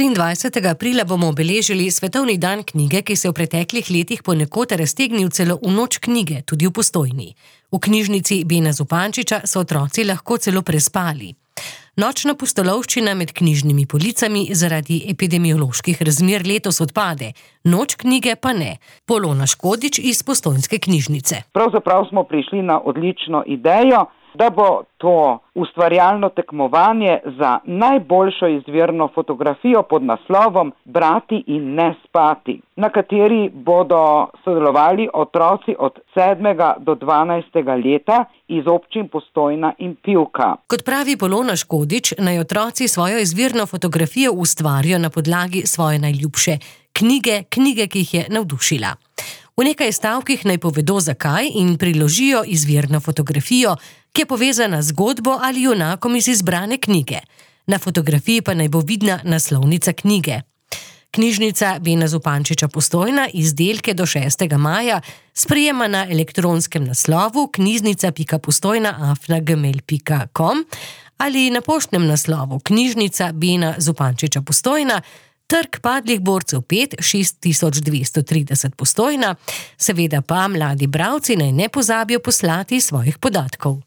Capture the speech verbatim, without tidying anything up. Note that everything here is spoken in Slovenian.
triindvajsetega aprila bomo obeležili Svetovni dan knjige, ki se v preteklih letih ponekod raztegnil celo v noč knjige, tudi v Postojni. V knjižnici Bena Zupančiča so otroci lahko celo prespali. Nočna pustolovščina med knjižnimi policami zaradi epidemioloških razmer letos odpade, noč knjige pa ne. Polona Škodič iz postojnske knjižnice. Pravzaprav smo prišli na odlično idejo, da bo to ustvarjalno tekmovanje za najboljšo izvirno fotografijo pod naslovom Brati in ne spati, na kateri bodo sodelovali otroci od sedmega do dvanajstega leta iz občin Postojna in Pivka. Kot pravi Polona Škodič, naj otroci svojo izvirno fotografijo ustvarijo na podlagi svoje najljubše knjige, knjige, ki jih je navdušila. V nekaj stavkih naj povedo zakaj in priložijo izvirno fotografijo, ki je povezana z zgodbo ali junakom iz izbrane knjige. Na fotografiji pa naj bo vidna naslovnica knjige. Knjižnica Bena Zupančiča Postojna izdelke do šestega maja sprejema na elektronskem naslovu knjižnica pika postojna afna gmail pika com ali na poštnem naslovu knjižnica Bena Zupančiča Postojna, Trg Padlih borcev pet, šest tisoč dvesto trideset Postojna, seveda pa mladi bralci naj ne pozabijo poslati svojih podatkov.